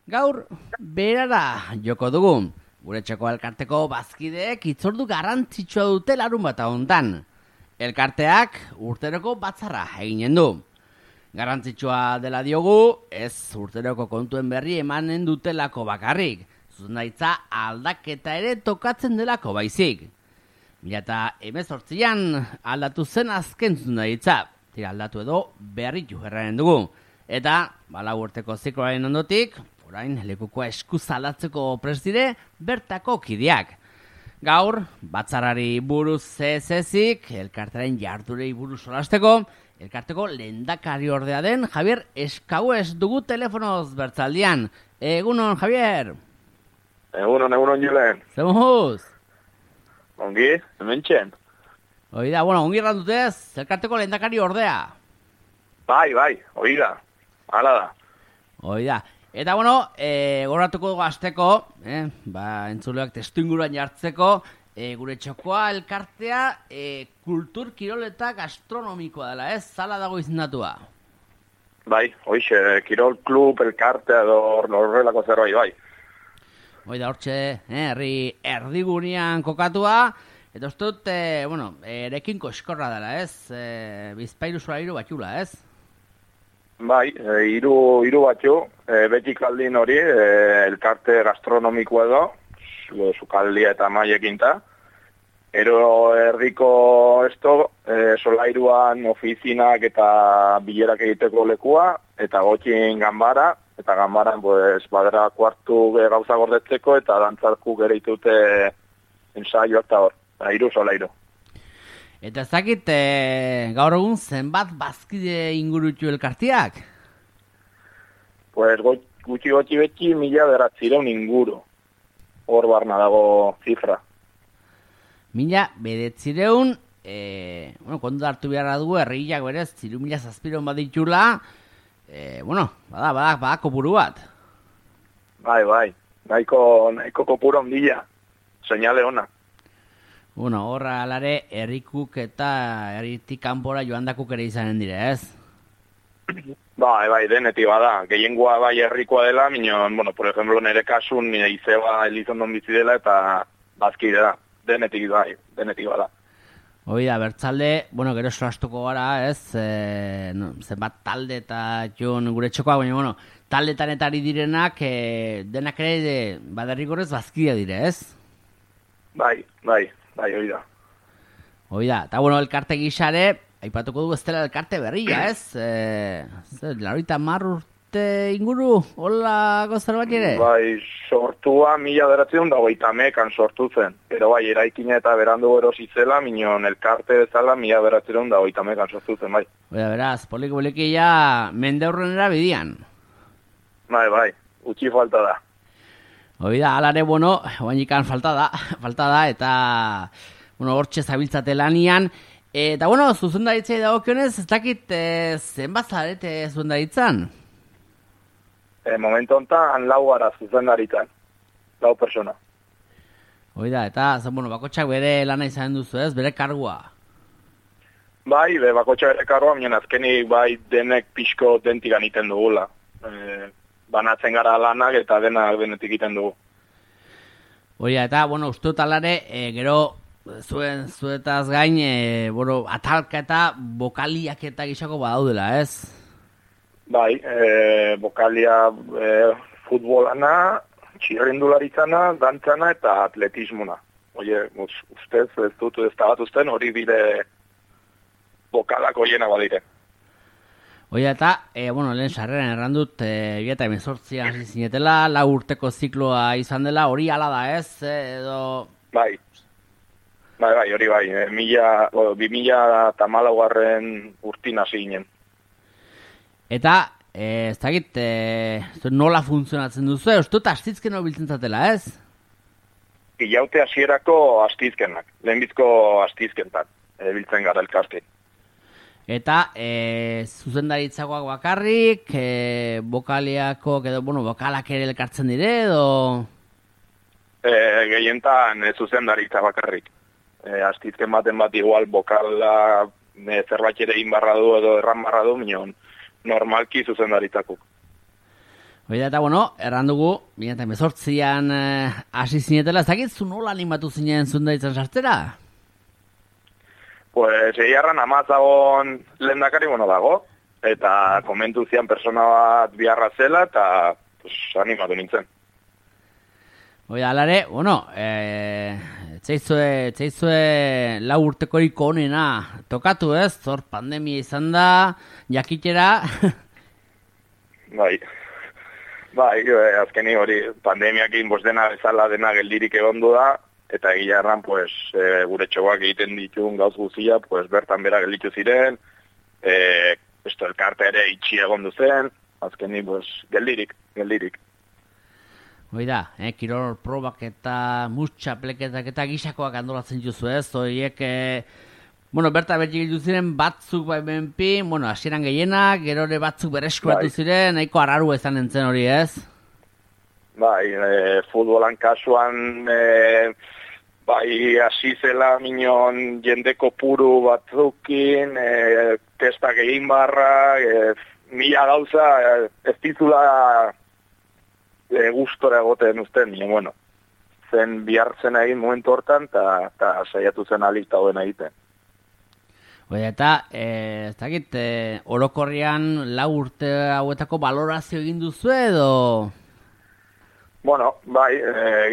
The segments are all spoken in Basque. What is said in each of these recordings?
Gaur, berara joko dugu. Gure txoko elkarteko bazkideek itzordu garrantzitsua dute larun bat hontan. Elkarteak urteroko batzarra eginen du. Garrantzitsua dela diogu, ez urteroko kontuen berri emanen dutelako bakarrik. Zuzendaritza aldaketa ere tokatzen delako baizik. 2018an aldatu zen azken zuzendaritza. Tira aldatu edo berritu erraren dugu. Eta, lau urteko zikloaren ondotik, orain lekukoa eskuzalatzeko preside bertako kideak. Gaur, batzarrari buruz zezik, elkartaren jardurei buruz solasteko, elkarteko lehendakari ordea den Javier Eskauez dugu telefonoz bertzaldian. Egunon, Javier? Egunon, Julen. Zemuz? Ongi, hemen txen. Oida, ongi errandutez, elkarteko lehendakari ordea. Bai, oida, hala da. Oida. Eta goratuko dugu azteko, entzuleak testu inguruan jartzeko, gure txokoa elkartea kultur, kirol eta gastronomikoa dela, ez? Zala dago izendatua. Bai, hoixe, kirol klub, elkartea edo horrelako zerbait, bai. Oida, hortxe, herri erdigunean kokatua, eta uste dut, erekin koskorra dela, ez? Bizpairu solairu batxula, ez? Bai, hiru batxu, betik aldin hori, elkarte gastronomikoa edo, sukaldia eta maiekinta. Ero erdiko solairuan ofizinak eta bilerak egiteko lekua, eta gotxin ganbara, eta ganbaran badera kuartu gauza gordetzeko, eta dantzarku gere itute ensaio eta hor, hiru solairu. Eta ez dakit, gaur egun zenbat bazkide ingurutu elkartiak? Pues gutxi beti 1900 inguru. Hor barna dago zifra. 1900, kontu hartu beharra dugu, herriak berez, 3000 bat ditula, bada kopuru bat. Bai, nahiko kopuru ondila, seinale ona. Horra alare, herrikuk eta herritik kanpora joandakuk ere izanen dire, ez? Bai, denetik bada. Gehiengoa bai herrikoa dela, minon, por ejemplo, nire kasun izeba Elizondon bizi dela eta bazkide da. Denetik bada. Oida, bertzalde, gero solastuko gara, ez? Zenbat talde eta joan gure txokoa, baina, taldetan eta ari direnak, denak ere baderrigorrez bazkidea dire, ez? Bai, oida. Oida, eta elkarte gisare, aipatuko dugu ez dela elkarte berria, ez? Larita urte inguru, hola gozar bat ere? Bai, sortua 1980 sortu zen. Pero bai, eraikina eta berandu erosi zela, minon elkarte bezala 1980 sortu zen, bai. Oida, beraz, poliki ja mende horrenera bidian. Bai, utxi falta da. Oida, alare, oainikan falta da, eta, hortxe zabiltzate lanian. Eta, zuzendaritzei dagokionez, ez dakit zenbat zarete zuzendaritzan? Momentu honetan, 4 gara zuzendaritzan, 4 persona. Oida, eta, bakotxak bere lana izan duzu ez, bere kargua? Bai, bakotxak bere kargua, minen azkenik bai denek pixko dentigan iten dugula. Banatzen gara lanak eta denak denetik egiten dugu. Oia, eta, uste dut alare, gero zuetaz gain, atalka eta bokaliak eta gixako badaudela, ez? Bai, bokalia futbolana, txirrindularitzana, dantzana eta atletismona. Oie, ustez, ez dut ez da bat usten, hori dire bokalak oiena badire. Oia, eta, lehen sarreran errandut, eta 18 zinetela, 4 urteko zikloa izan dela, hori ala da, ez? Edo... Bai, hori bai. 2014 urtin hasi ginen. Eta, ez dakit, nola funtzionatzen duzu, ez dut astizken biltzen zatela, ez? Ilaute hasierako astizkenak, lehenbizko astizkentak, biltzen gara elkarte. Eta, zuzendaritzakoak bakarrik, bokaliako, bokalak ere elkartzen dire, edo... Gehientan zuzendaritza bakarrik. Astizken baten bat igual bokala zerbait ere inbarra du edo erran barra du, minon normalki zuzendaritzakuk. Oida, eta bueno, erran dugu, 2018an hasi zinetela, ez dakit zu nola animatu zinen Zundaitzen sartzera? Pues egiarran amazagon lehendakari dago, eta komentu zian persona bat biharra zela, eta pues, animatu nintzen. Oida, alare, bueno, txaizue lau urtekorik onena tokatu ez, zor pandemia izan da, jakitera. Bai, azkeni hori pandemiakin dena bezala dena geldirik egondu da, eta egiarran, pues, gure txoak egiten ditun gauz guzia, pues, bertan bera gelditu ziren, elkarte ere itxi egondu zen, azkeni, pues, geldirik. Oida, kirol probak eta mutxapleketak eta gisakoak antolatzen juzu ez, horiek, berta bertxik ziren batzuk bai benpi, hasieran gehienak, gero ere batzuk bereskuratu ziren, nahiko arraru ezan entzen hori ez? Bai, futbolan kasuan, hasi zela minon jendeko puru batzukin, testak egin barra, mila gauza, ez dizula gustora egoten usten, zen bihartzen egin momentu hortan, eta saiatu zen alita hoben egiten. Oida, eta, ez dakit, orokorrian lau urte hauetako balorazio egin duzu edo?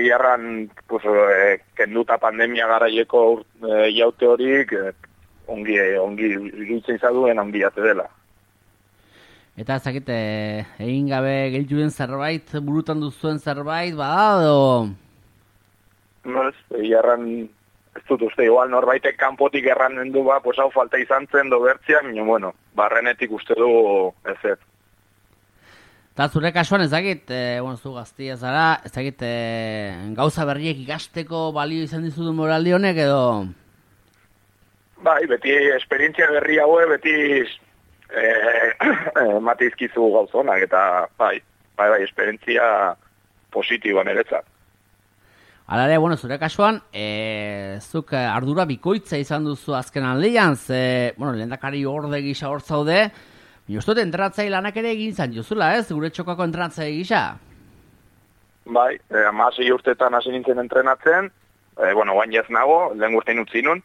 Giarran, kenduta pandemia garaieko jaute horik, ongi iritzen izaduen ongi jate dela. Eta ez dakit, egin gabe gelditu den zerbait, burutan duzuen zerbait, bada edo? Giarran, ez dut uste, igual norbaitek kanpotik erranen du hau falta izan zen do bertzia, barrenetik uste du ez. Eta zure kasuan ez dakit, zu gaztia zara, ez dakit, gauza berriek ikasteko balio izan dizudu moraldi honek edo? Bai, beti esperientzia berri haue, beti matizkizu gauzonak, eta bai, esperientzia positiboan eretzat. Alare, zure kasuan, zuk ardura bikoitza izan duzu azken aldean, lehendakari orde gisa hor zaude, Jostot entrenatzai lanak ere egin zan jozula, ez? Gure txokako entrenatzai gisa? Bai, 16 urtetan hasi nintzen entrenatzen, guain ez nago, lehen urtein utzi nun,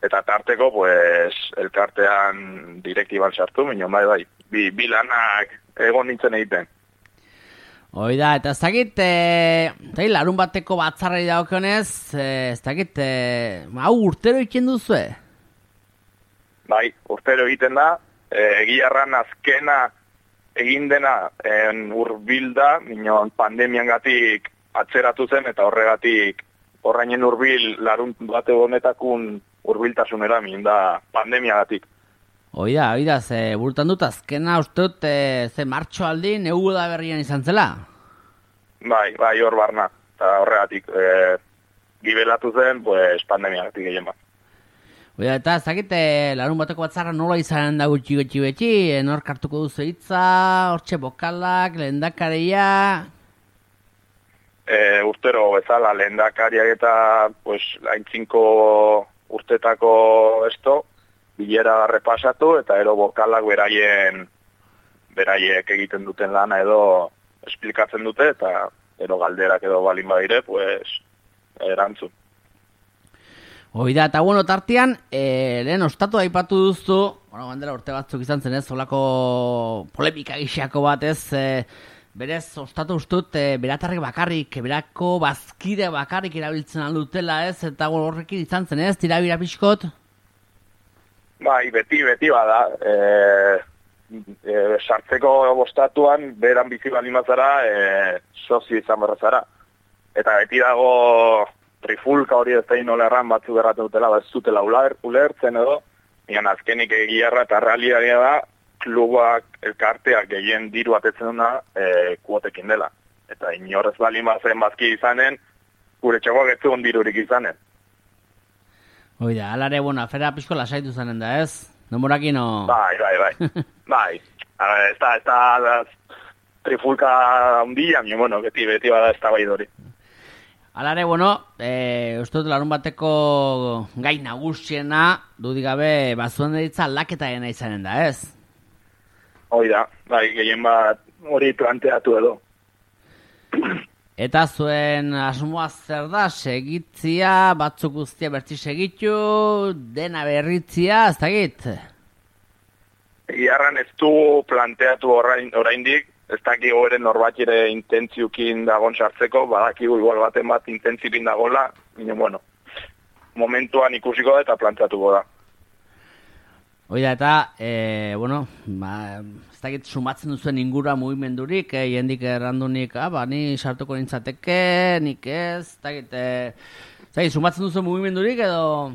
eta tarteko, elkartean direktiban sartu, bai, bi lanak egon nintzen egiten. Oida, eta ez dakit, larun bateko batzarrei daukionez, ez dakit, urtero egiten duzue? Bai, urtero egiten da, egiarran azkena egin dena urbilda, pandemian gatik atzeratu zen, eta horrainen urbil larun bate honetakun urbiltasunera da pandemia gatik. Oida, ze burutan dut azkena uste dut ze martxo aldi negu da berrian izan zela? Bai, hor barna, eta horregatik gibelatu zen, pandemia gatik egin bat. Oida, eta ez dakit, larun bateko batzarra nola izanen da gutxi beti, nor kartuko duzu hitza, hortxe bokalak, lehendakaria? Urtero bezala, lehendakariak eta haintzinko urtetako bilera repasatu, eta ero bokalak beraiek egiten duten lana edo esplikatzen dute, eta ero galderak edo balin badire, erantzun. Oida, eta tartean, lehen ostatu aipatu duzu, bandera urte batzuk izan zen ez, solako polemika gixako bat ez, berez, ostatu ustut, beratarrek bakarrik, berako bazkide bakarrik erabiltzen aldutela ez, eta horrekin izan zen ez, tirabira pixkot? Bai, beti bada, sartzeko bostatuan, beran bizi bali mazara, sozio izan berrazara. Eta beti dago trifulka hori ez da nola erran batzu berratu dutela, ez zutela ulertzen edo, azkenik egiarra eta realitatea da, klubak, elkarteak gehien diru atetzen duna kuotekin dela. Eta inorrez bali mazen bazki izanen, gure txagoak ez zugun dirurik izanen. Oida, alare, afera pixko lasaitu zanen da, ez? Nomorakin o... Bai. Ez da trifulka hundia, beti bada ez da bai dori. Alare, uste dut larun bateko gai nagusiena, dudik gabe, bazuen deritza laketa gena izanen da, ez? Oida, bai, gehien bat hori planteatu edo. Eta zuen asmoa zer da, segitzia, batzuk guztia bertzi segitu, dena berritzia, ez dakit? Iarran ez du planteatu oraindik, ez dakigu ere norbait ere intentziukin dagon sartzeko, badakigu igual baten bat intentzipin dagoela, bueno, momentuan ikusiko da eta planteatuko da. Oida, eta, ez dakit sumatzen duzuen ingura mugimendurik, jendik errandunik, ni sartuko nintzateke, nik ez dakit, sumatzen duzuen mugimendurik edo?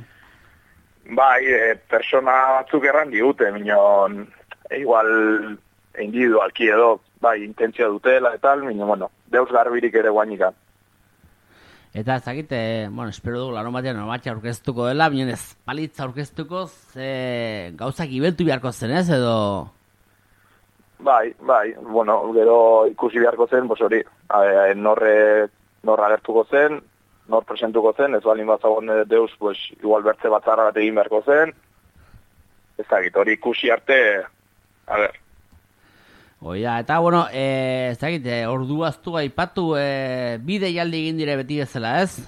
Bai, persona batzuk erran digute, minon, igual individualki edo, bai, intentzia dutela eta tal, bueno, deus garbirik ere guainika. Eta ez dakit, espero dugu larun batean normatxa aurkeztuko dela, binen ez palitza aurkeztuko, gauzak ibeltu beharko zen ez, edo? Bai, gero ikusi beharko zen, hori, nor agertuko zen, nor presentuko zen, ez balin bazagon deus, igual bertze batzarra bat egin beharko zen, ez dakit, hori ikusi arte, Oia, eta, ez dakit, orduaztu aipatu, bide jaldi egin dire beti bezala, ez?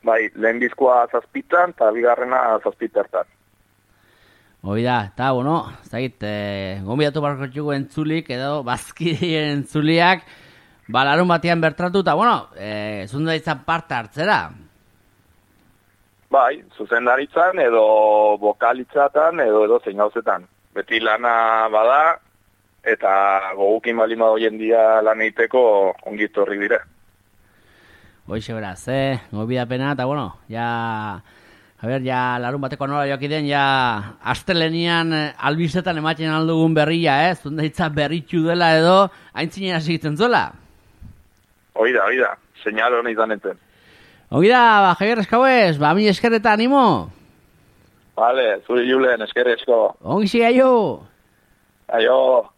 Bai, lehen bizkoa 7 eta bigarrena 7. Oida, eta, ez dakit, gombidatu barko txuko entzulik, edo, bazkideen entzuliak, larun batean bertratu, eta, zundaritzan parte hartzera. Bai, zuzendaritzan, edo bokalitzatan, edo zein gauzetan. Beti lana bada, eta gogukin balima hoien dia lan egiteko ongit horri dire. Hoixe beraz, gobidapena, eta ja larun bateko nola joakiden, ja astelenian albizetan ematen aldugun berria, zundaitza berritxu dela edo, haintzinen hasitzen zuela? Oida, señal hona izan enten. Oida, Javier Eskauez, mi eskerreta animo? Vale, zuri julen, eskerrezko. Ongi zigaio! Aio!